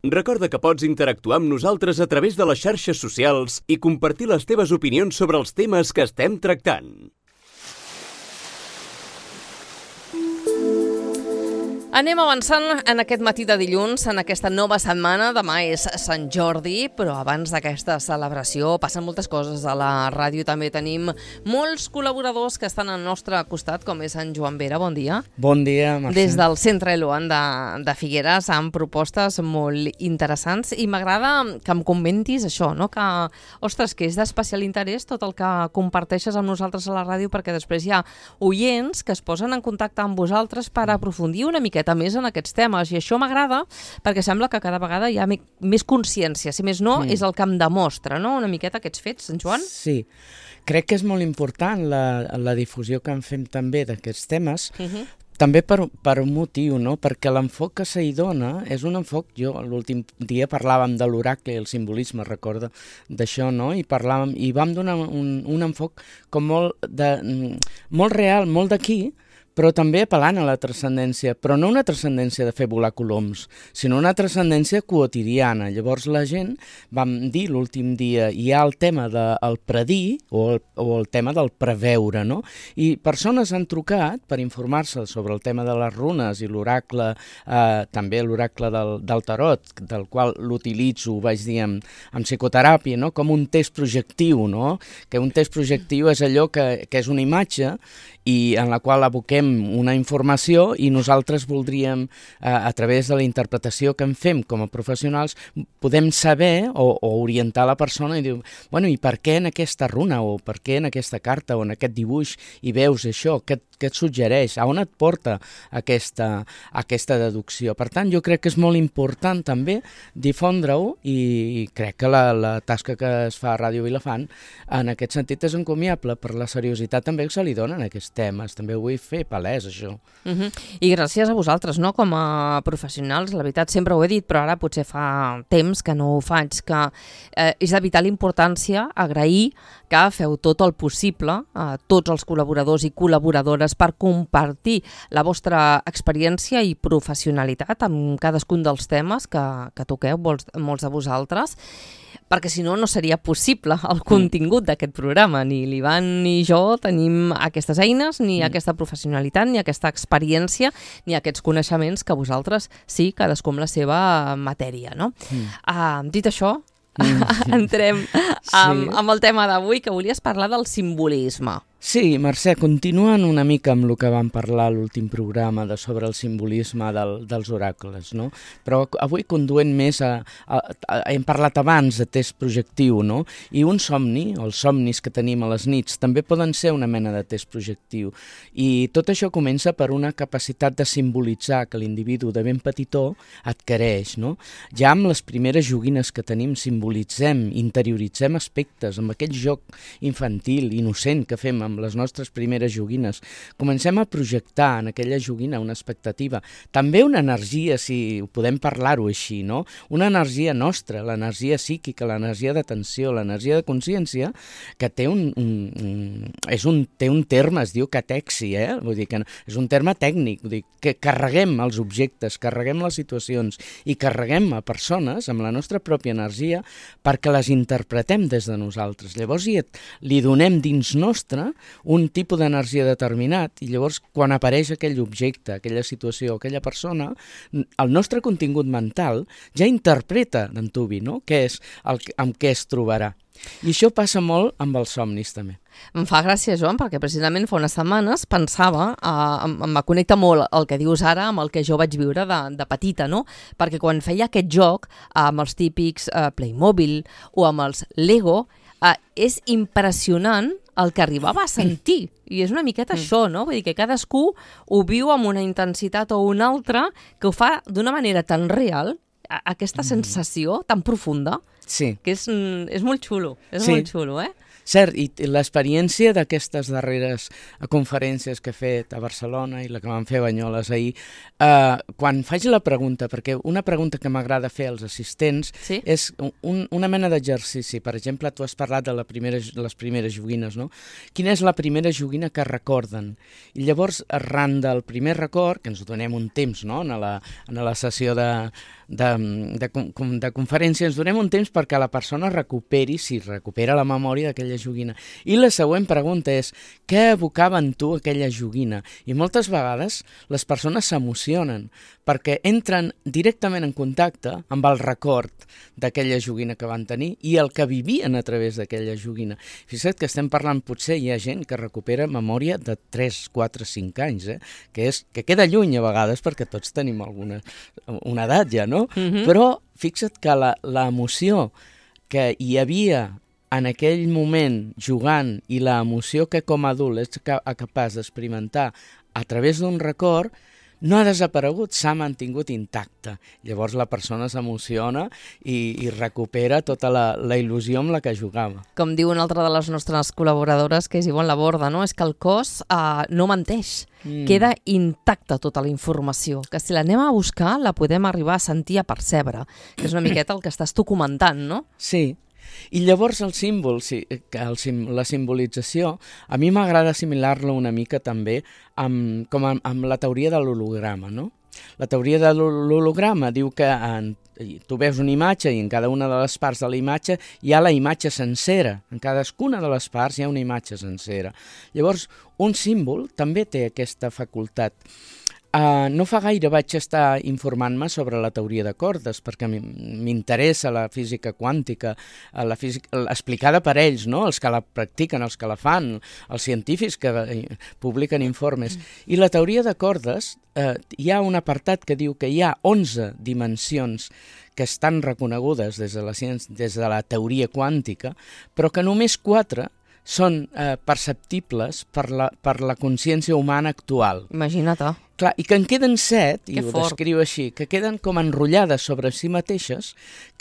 Recorda que pots interactuar amb nosaltres a través de les xarxes socials i compartir les teves opinions sobre els temes que estem tractant. Anem avançant en aquest matí de dilluns, en aquesta nova setmana. Demà és Sant Jordi, però abans d'aquesta celebració passen moltes coses a la ràdio. També tenim molts col·laboradors que estan al nostre costat, com és en Joan Vera. Bon dia. Bon dia, Mercè. Des del Centre Eloan de Figueres, amb propostes molt interessants. I m'agrada que em comentis això, no? Que, ostres, que és d'especial interès tot el que comparteixes amb nosaltres a la ràdio, perquè després hi ha oients que es posen en contacte amb vosaltres per aprofundir una miqueta més en aquests temes, i això m'agrada perquè sembla que cada vegada hi ha més consciència, si més no, és el que em demostra, no?, una miqueta aquests fets, en Joan? Sí, crec que és molt important la difusió que en fem també d'aquests temes, també per un motiu, no?, perquè l'enfoc que s'hi dona és un enfoc, l'últim dia parlàvem de l'oracle i el simbolisme, recorda d'això, no?, i vam donar un enfoc com molt real, molt d'aquí, però també apel·lant a la transcendència, però no una transcendència de fer volar coloms, sinó una transcendència quotidiana. Llavors la gent, vam dir l'últim dia, hi ha el tema del predir o el tema del preveure, no? I persones han trucat per informar-se sobre el tema de les runes i l'oracle, també l'oracle del tarot, del qual l'utilitzo, ho vaig dir, en psicoteràpia, no?, com un test projectiu, no?, que un test projectiu és allò que és una imatge i en la qual aboquem una informació i nosaltres voldríem, a través de la interpretació que en fem com a professionals, podem saber o orientar la persona i dir, bueno, i per què en aquesta runa o per què en aquesta carta o en aquest dibuix hi veus això, què et suggereix, a on et porta aquesta deducció. Per tant, jo crec que és molt important també difondre-ho i crec que la tasca que es fa a Ràdio Vilafant en aquest sentit és encomiable per la seriositat també que se li dona en aquests temes. També ho vull fer palès, això. I gràcies a vosaltres, no?, com a professionals, la veritat, sempre ho he dit, però ara potser fa temps que no ho faig, que és de vital importància agrair que feu tot el possible, tots els col·laboradors i col·laboradores, per compartir la vostra experiència i professionalitat amb cadascun dels temes que toqueu, molts de vosaltres, perquè si no, no seria possible el contingut d'aquest programa. Ni l'Ivan ni jo tenim aquestes eines, ni aquesta professionalitat, ni aquesta experiència, ni aquests coneixements que vosaltres sí, cadascú amb la seva matèria, no? Dit això, entrem amb el tema d'avui, que volies parlar del simbolisme. Sí, Mercè, continuant una mica amb el que vam parlar a l'últim programa sobre el simbolisme dels oracles, no? Però avui conduent més hem parlat abans de test projectiu, no? I un somni, o els somnis que tenim a les nits, també poden ser una mena de test projectiu. I tot això comença per una capacitat de simbolitzar que l'individu de ben petitó adquireix, no? Ja amb les primeres joguines que tenim simbolitzem, interioritzem aspectes, amb aquell joc infantil, innocent que fem amb les nostres primeres joguines, comencem a projectar en aquella joguina una expectativa, també una energia, si podem parlar-ho així, no? Una energia nostra, l'energia psíquica, l'energia d'atenció, l'energia de consciència, que té un terme, es diu catexi, vull dir que és un terme tècnic, vull dir que carreguem els objectes, carreguem les situacions i carreguem a persones amb la nostra pròpia energia perquè les interpretem des de nosaltres. Llavors li donem dins nostre un tipus d'energia determinat i llavors quan apareix aquell objecte, aquella situació, aquella persona, el nostre contingut mental ja interpreta d'antuvi, no?, què és amb què es trobarà. I això passa molt amb els somnis també. Em fa gràcia, Joan, perquè precisament fa unes setmanes pensava, em connecta molt el que dius ara amb el que jo vaig viure de petita, no? Perquè quan feia aquest joc amb els típics Playmobil o amb els Lego, és impressionant el que arribava a sentir. I és una miqueta això, no? Vull dir que cadascú ho viu amb una intensitat o una altra que ho fa d'una manera tan real, aquesta sensació tan profunda, que és molt xulo, molt xulo, Cert, i l'experiència d'aquestes darreres conferències que he fet a Barcelona i la que vam fer a Banyoles ahir, quan faig la pregunta, perquè una pregunta que m'agrada fer als assistents és una mena d'exercici. Per exemple, tu has parlat de les primeres joguines, no? Quina és la primera joguina que recorden? I llavors, arran del primer record, que ens donem un temps, no?, en la sessió de conferència, ens donem un temps perquè la persona recuperi, si recupera la memòria d'aquella joguina. I la següent pregunta és, què evocava en tu aquella joguina? I moltes vegades les persones s'emocionen perquè entren directament en contacte amb el record d'aquella joguina que van tenir i el que vivien a través d'aquella joguina. Fixa't que estem parlant, potser hi ha gent que recupera memòria de 3, 4, 5 anys, que queda lluny a vegades perquè tots tenim una edat ja, no? Però fixa't que l'emoció que hi havia en aquell moment jugant i l'emoció que com a adult ets capaç d'experimentar a través d'un record no ha desaparegut, s'ha mantingut intacte. Llavors la persona s'emociona i recupera tota la il·lusió amb la que jugava. Com diu una altra de les nostres col·laboradores, que és Ivonne Laborda, no? És que el cos no menteix, queda intacta tota la informació, que si l'anem a buscar la podem arribar a sentir, a percebre, que és una miqueta el que estàs tu comentant, no? Sí. I llavors el símbol, la simbolització, a mi m'agrada assimilar-lo una mica també amb la teoria de l'holograma, no? La teoria de l'holograma diu que tu veus una imatge i en cada una de les parts de la imatge hi ha la imatge sencera. En cadascuna de les parts hi ha una imatge sencera. Llavors, un símbol també té aquesta facultat. No fa gaire vaig estar informant-me sobre la teoria de cordes perquè m'interessa la física quàntica, la física explicada per ells, no? Els que la practiquen, els que la fan, els científics que publiquen informes. I la teoria de cordes, hi ha un apartat que diu que hi ha 11 dimensions que estan reconegudes des de la teoria quàntica, però que només 4 són perceptibles per la consciència humana actual. Imagina't. Clar, i que en queden 7, i ho descriu així, que queden com enrotllades sobre si mateixes,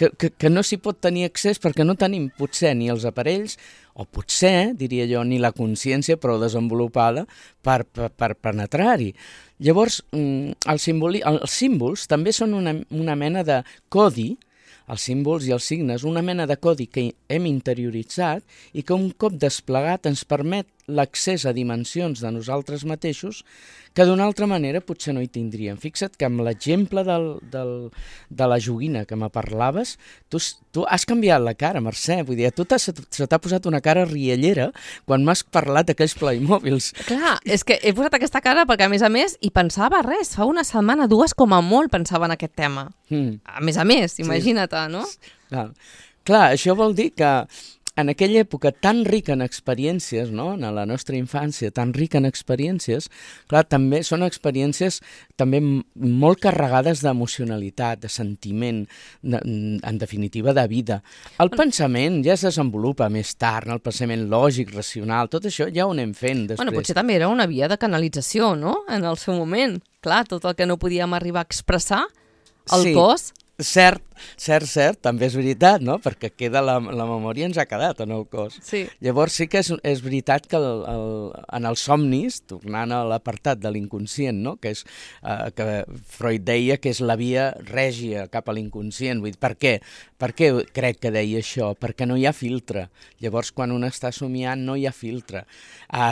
que no s'hi pot tenir accés perquè no tenim potser ni els aparells, o potser, diria jo, ni la consciència prou desenvolupada per penetrar-hi. Llavors, els símbols també són una mena de codi, els símbols i els signes, una mena de codi que hem interioritzat i que un cop desplegat ens permet l'accés a dimensions de nosaltres mateixos que d'una altra manera potser no hi tindríem. Fixa't que amb l'exemple de la joguina que me parlaves, tu has canviat la cara, Mercè, vull dir, a tu se t'ha posat una cara riallera quan m'has parlat d'aquells Playmobils. Clar, és que he posat aquesta cara perquè, a més, hi pensava fa una setmana, 2 com a molt, pensava en aquest tema. A més, imagina't, no? Clar, això vol dir que en aquella època tan rica en experiències, no? En la nostra infància, tan rica en experiències, clar, també són experiències també molt carregades d'emocionalitat, de sentiment, en definitiva de vida. El pensament ja es desenvolupa més tard, el pensament lògic, racional, tot això ja ho anem fent després. Bueno, potser també era una via de canalització, no?, en el seu moment. Clar, tot el que no podíem arribar a expressar, el cos... Cert, també és veritat, no? Perquè la memòria ens ha quedat en el cos. Sí. Llavors sí que és veritat que en els somnis, tornant a l'apartat de l'inconscient, no? Que Freud deia que és la via règia cap a l'inconscient. Vull dir, per què? Per què crec que deia això? Perquè no hi ha filtre. Llavors, quan un està somiant, no hi ha filtre.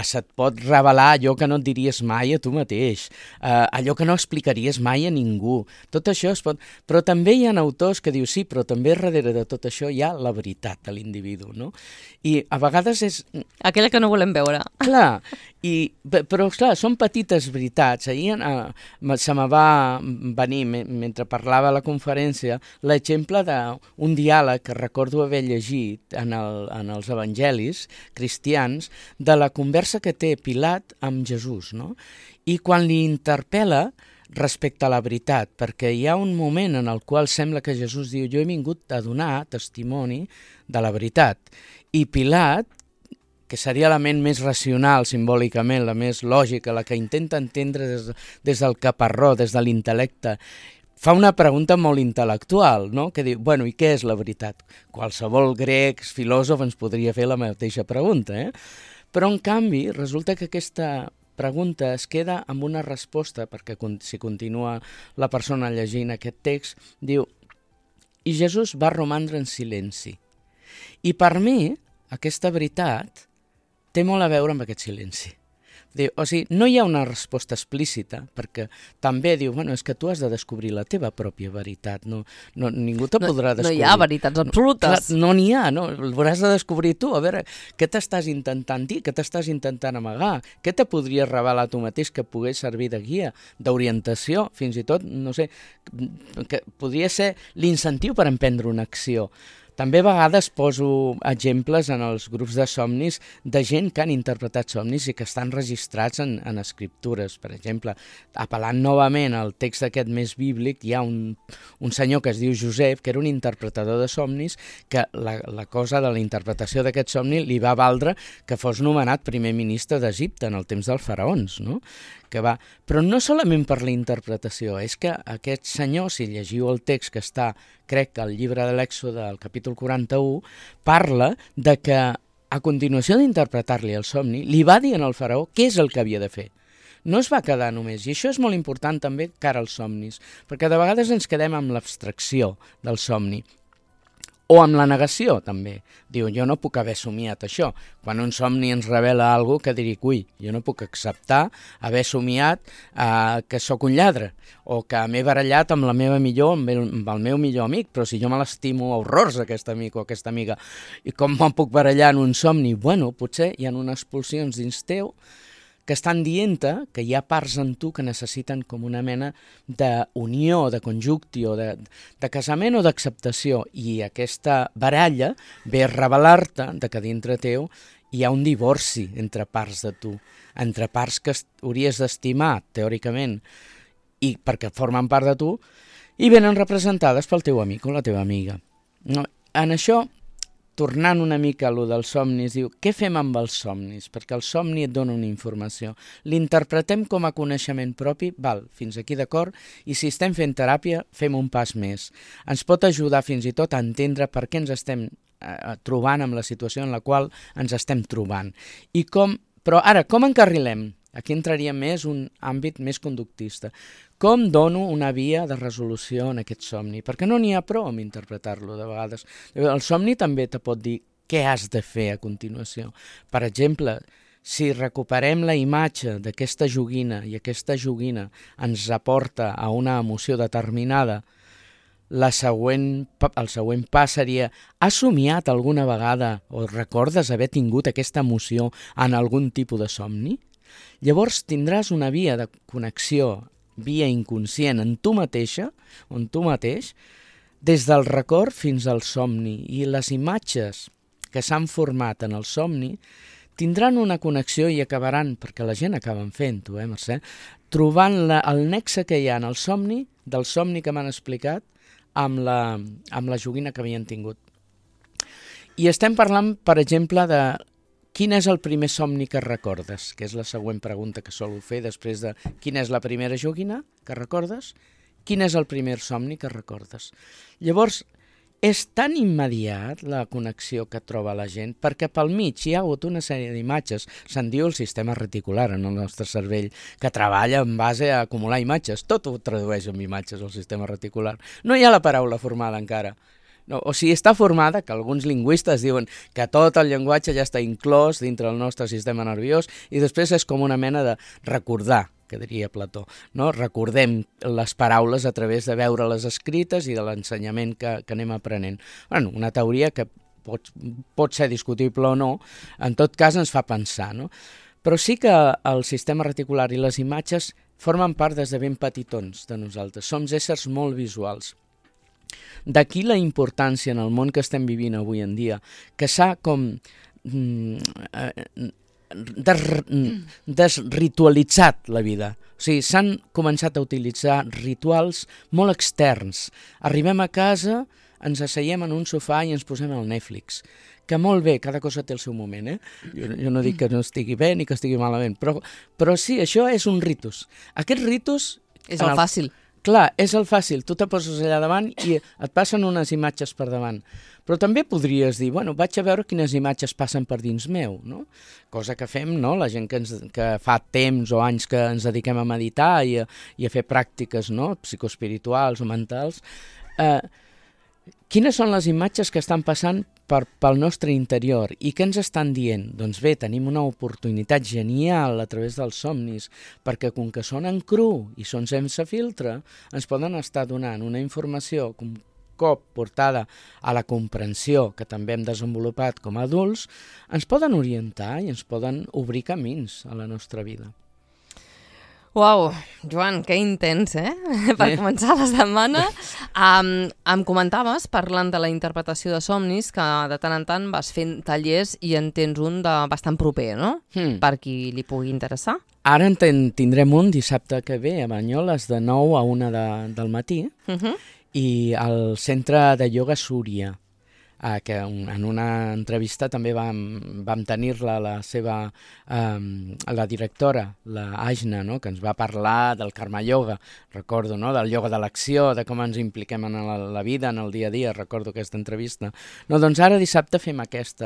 Se't pot revelar allò que no et diries mai a tu mateix, allò que no explicaries mai a ningú. Tot això es pot... Però també hi ha autors que diu sí, però també darrere de tot això hi ha la veritat de l'individu, no? I a vegades és... Aquella que no volem veure. Clar, però clar, són petites veritats. Ahir se me va venir, mentre parlava a la conferència, l'exemple d'un diàleg que recordo haver llegit en els evangelis cristians de la conversa que té Pilat amb Jesús, no? I quan li interpel·la respecte a la veritat, perquè hi ha un moment en el qual sembla que Jesús diu jo he vingut a donar testimoni de la veritat. I Pilat, que seria la ment més racional simbòlicament, la més lògica, la que intenta entendre des del caparró, des de l'intel·lecte, fa una pregunta molt intel·lectual, no? Que diu, bueno, i què és la veritat? Qualsevol grec, filòsof, ens podria fer la mateixa pregunta, Però, en canvi, resulta que aquesta pregunta es queda amb una resposta, perquè si continua la persona llegint aquest text, diu, i Jesús va romandre en silenci. I per mi, aquesta veritat té molt a veure amb aquest silenci. O sigui, no hi ha una resposta explícita, perquè també diu, bueno, és que tu has de descobrir la teva pròpia veritat, ningú te podrà descobrir. No hi ha veritats absolutes. Clar, no n'hi ha, no? L'hauràs de descobrir tu, a veure, què t'estàs intentant dir, què t'estàs intentant amagar, què te podries revelar tu mateix que pogués servir de guia, d'orientació, fins i tot, no sé, que podria ser l'incentiu per emprendre una acció. També a vegades poso exemples en els grups de somnis de gent que han interpretat somnis i que estan registrats en escriptures. Per exemple, apel·lant novament al text aquest més bíblic, hi ha un senyor que es diu Josep, que era un interpretador de somnis, que la cosa de la interpretació d'aquest somni li va valdre que fos nomenat primer ministre d'Egipte en el temps dels faraons, no? Però no solament per la interpretació, és que aquest senyor, si llegiu el text que està, crec, al llibre de l'Èxode, al capítol 41, parla de que a continuació d'interpretar-li el somni, li va dir al faraó què és el que havia de fer. No es va quedar només, i això és molt important també cara als somnis, perquè de vegades ens quedem amb l'abstracció del somni, o amb la negació, també. Diu, jo no puc haver somiat això. Quan un somni ens revela alguna cosa que dic, ui, jo no puc acceptar haver somiat que sóc un lladre, o que m'he barallat amb amb el meu millor amic, però si jo me l'estimo a horrors, aquest amic o aquesta amiga, i com me'n puc barallar en un somni? Bueno, potser hi ha unes pulsions dins teu que estan dient-te que hi ha parts en tu que necessiten com una mena d'unió, de conjuncció, de casament o d'acceptació, i aquesta baralla ve a revelar-te que dintre teu hi ha un divorci entre parts de tu, entre parts que hauries d'estimar, teòricament, i perquè formen part de tu, i venen representades pel teu amic o la teva amiga. En això, tornant una mica a lo dels somnis, diu, què fem amb els somnis? Perquè el somni et dona una informació. L'interpretem com a coneixement propi, val, fins aquí d'acord, i si estem fent teràpia, fem un pas més. Ens pot ajudar fins i tot a entendre per què ens estem trobant amb la situació en la qual ens estem trobant. Però ara, com encarrilem? Aquí entraria més un àmbit més conductista. Com dono una via de resolució en aquest somni? Perquè no n'hi ha prou amb interpretar-lo de vegades. El somni també te pot dir què has de fer a continuació. Per exemple, si recuperem la imatge d'aquesta joguina i aquesta joguina ens aporta a una emoció determinada, el següent pas seria, has somiat alguna vegada o recordes haver tingut aquesta emoció en algun tipus de somni? Llavors tindràs una via de connexió, via inconscient en tu mateixa, on tu mateix, des del record fins al somni, i les imatges que s'han format en el somni tindran una connexió i acabaran, perquè la gent acaben fent-ho, Mercè, trobant el nexe que hi ha en el somni, del somni que m'han explicat, amb la joguina que havien tingut. I estem parlant, per exemple, de quin és el primer somni que recordes? Que és la següent pregunta que solo fer després de quina és la primera joguina que recordes? Quin és el primer somni que recordes? Llavors, és tan immediat la connexió que troba la gent, perquè pel mig hi ha hagut una sèrie d'imatges, se'n diu el sistema reticular en el nostre cervell, que treballa en base a acumular imatges, tot ho tradueix en imatges el sistema reticular. No hi ha la paraula formada encara. No, o sigui, està formada, que alguns lingüistes diuen que tot el llenguatge ja està inclòs dintre del nostre sistema nerviós, i després és com una mena de recordar, que diria Plató, no? Recordem les paraules a través de veure-les escrites i de l'ensenyament que anem aprenent. Bueno, una teoria que pot ser discutible o no, en tot cas ens fa pensar, no? Però sí que el sistema reticular i les imatges formen part des de ben petitons de nosaltres. Som éssers molt visuals. D'aquí la importància en el món que estem vivint avui en dia, que s'ha com desritualitzat la vida. O sigui, s'han començat a utilitzar rituals molt externs. Arribem a casa, ens asseiem en un sofà i ens posem al Netflix. Que molt bé, cada cosa té el seu moment, Jo no dic que no estigui bé ni que estigui malament, però sí, això és un ritus. Aquest ritus... És el fàcil. Clar, és el fàcil, tu te poses allà davant i et passen unes imatges per davant. Però també podries dir, bueno, vaig a veure quines imatges passen per dins meu, no? Cosa que fem, no?, la gent que fa temps o anys que ens dediquem a meditar i a fer pràctiques, no?, psicoespirituals o mentals. Quines són les imatges que estan passant pel nostre interior i què ens estan dient? Doncs bé, tenim una oportunitat genial a través dels somnis, perquè com que són en cru i són sense filtre, ens poden estar donant una informació un cop portada a la comprensió que també hem desenvolupat com a adults, ens poden orientar i ens poden obrir camins a la nostra vida. Uau, Joan, que intens, per començar la setmana. Em comentaves, parlant de la interpretació de somnis, que de tant en tant vas fent tallers i en tens un de bastant proper, no? Per qui li pugui interessar. Ara en tindrem un dissabte que ve a Banyoles de 9 a 1 del matí i al Centre de Ioga Súria, que en una entrevista també vam tenir-la la directora, la Ajna, no? Que ens va parlar del Karma Yoga, recordo, no? Del ioga de l'acció, de com ens impliquem en la vida, en el dia a dia, recordo aquesta entrevista. No, doncs ara dissabte fem aquest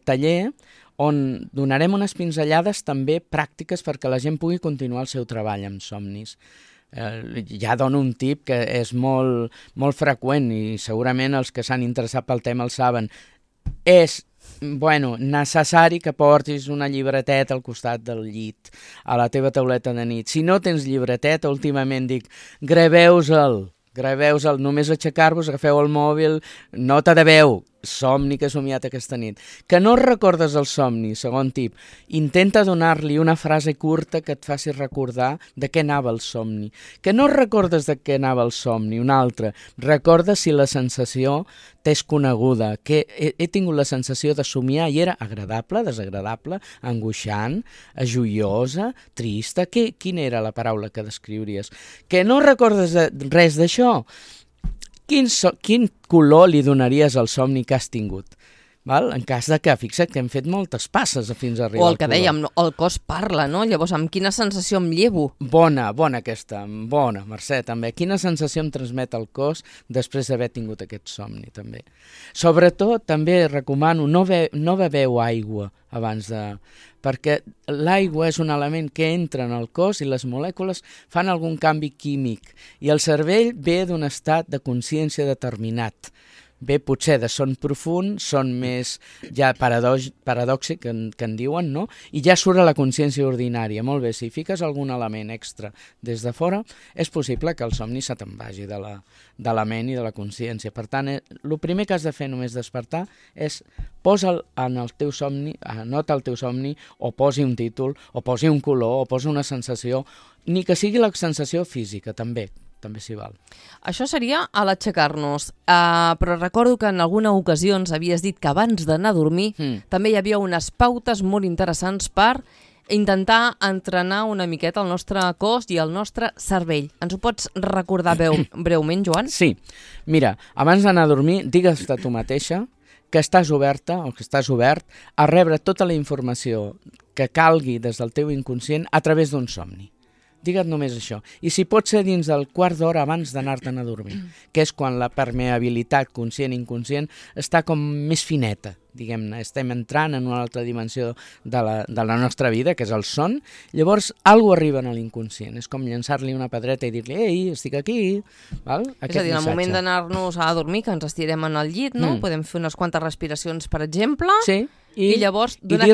taller on donarem unes pinzellades també pràctiques perquè la gent pugui continuar el seu treball amb somnis. Ja dono un tip que és molt freqüent i segurament els que s'han interessat pel tema el saben. És necessari que portis una llibreteta al costat del llit, a la teva tauleta de nit. Si no tens llibreteta, últimament dic, graveu-se'l, només aixecar-vos, agafeu el mòbil, nota de veu, somni que he somiat aquesta nit. Que no recordes el somni, segon tip, intenta donar-li una frase curta que et faci recordar de què anava el somni. Que no recordes de què anava el somni, un altre, recorda si la sensació t'és coneguda, que he tingut la sensació de somiar i era agradable, desagradable, angoixant, joiosa, trista, quina era la paraula que descriuries? Que no recordes res d'això? Quin color li donaries al somni que has tingut? Val? En cas de que, fixa't que hem fet moltes passes fins a arribar al color. O el que dèiem, el cos parla, no? Llavors, amb quina sensació em llevo? Bona aquesta, bona, Mercè, també. Quina sensació em transmet el cos després d'haver tingut aquest somni, també. Sobretot, també recomano, no beveu aigua abans de... perquè l'aigua és un element que entra en el cos i les molècules fan algun canvi químic i el cervell ve d'un estat de consciència determinat. Ve potser de son profund, son més ja paradòxic, que en diuen, no? I ja surt a la consciència ordinària. Molt bé, si fiques algun element extra des de fora, és possible que el somni se te'n vagi de la ment i de la consciència. Per tant, el primer que has de fer només despertar és posa en el teu somni, anota el teu somni, o posi un títol, o posi un color, o posi una sensació, ni que sigui la sensació física, també s'hi val. Això seria a l'aixecar-nos, però recordo que en alguna ocasió ens havies dit que abans d'anar a dormir també hi havia unes pautes molt interessants per intentar entrenar una miqueta el nostre cos i el nostre cervell. Ens ho pots recordar breument, Joan? Sí. Mira, abans d'anar a dormir, digues de tu mateixa que estàs oberta o que estàs obert a rebre tota la informació que calgui des del teu inconscient a través d'un somni. Digue't només això. I si pot ser dins del quart d'hora abans d'anar-te'n a dormir, que és quan la permeabilitat conscient-inconscient està com més fineta, diguem-ne. Estem entrant en una altra dimensió de la nostra vida, que és el son. Llavors, alguna cosa arriba a l'inconscient. És com llançar-li una pedreta i dir-li, ei, estic aquí. Val? És a dir, en el moment d'anar-nos a dormir, que ens estirem en el llit, no? Podem fer unes quantes respiracions, per exemple, sí, i llavors donar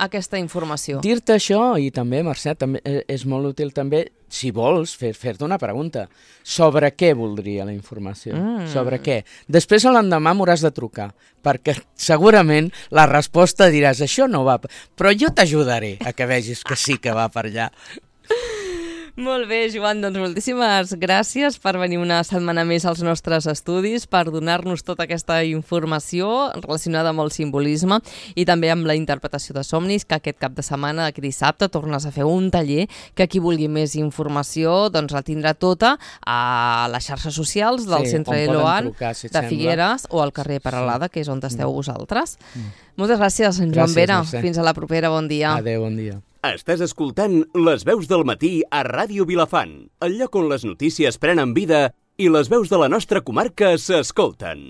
aquesta informació. Dir-te això, i també, Mercè, també és molt útil també, si vols, fer-te una pregunta. Sobre què voldria la informació? Sobre què? Després a l'endemà m'hauràs de trucar, perquè segurament la resposta diràs, això no va, però jo t'ajudaré a que vegis que sí que va per allà. Molt bé, Joan, doncs moltíssimes gràcies per venir una setmana més als nostres estudis, per donar-nos tota aquesta informació relacionada amb el simbolisme i també amb la interpretació de somnis, que aquest cap de setmana, aquest dissabte, tornes a fer un taller que qui vulgui més informació doncs la tindrà tota a les xarxes socials del Centre Eloan de Figueres o al carrer Peralada, que és on esteu vosaltres. Moltes gràcies, en Joan Vera. Fins a la propera, bon dia. Adéu, bon dia. Estàs escoltant Les veus del matí a Ràdio Vilafant, el lloc on les notícies prenen vida i les veus de la nostra comarca s'escolten.